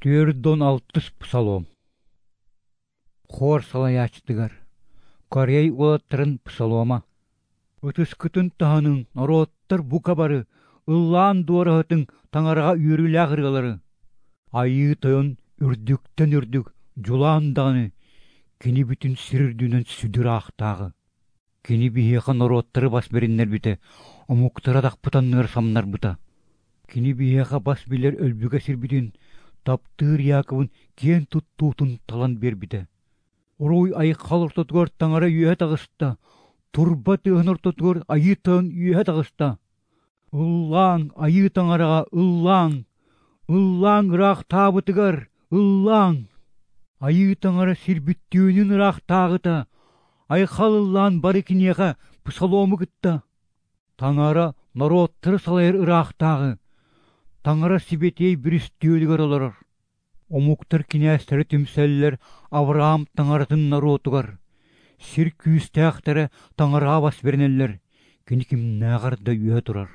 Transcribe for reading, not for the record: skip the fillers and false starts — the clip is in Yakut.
46 псалом. Хор салайааччытыгар. Корей уолаттарын псалома. Ытыскытын таһыныҥ, норуоттар бука бары, ыллаан дуораһытыҥ Таҥараҕа үөрүүлээх ырыалары. Айыы Тойон үрдүктэн үрдүк, дьулаан даҕаны, кини бүтүн сир үрдүнэн сүдү ыраахтааҕы. Кини биһиэхэ норуоттары бас бэриннэрбитэ, омуктары атахпыт анныгар самнарбыта. Кини биһиэхэ бас билэр өлбүгэ сирбитин, таптыыр Яковын киэн туттуутун талан биэрбитэ. Уруй айхал ортотугар Таҥара үөһэ таҕыста, турба тыаһын ортотугар Айыы Тойон үөһэ таҕыста. Ыллааҥ, Айыы Таҥараҕа ыллааҥ, ыллааҥ ыраахтаабытыгар, ыллааҥ! Айыы Таҥара сир бүттүүнүн ыраахтааҕыта, айхал ыллаан бары киниэхэ псалому кытта. Таҥара норуоттары салайар ыраахтааҕы, Таҥара сибэтиэй бүрүстүөлүгэр олорор. Омуктар кинээстэрэ түмсэллэр Авраам Таҥаратын норуотугар. Сир күүстээхтэрэ Таҥараҕа бас бэринэллэр, кини кимнээҕэр да үөһэ турар.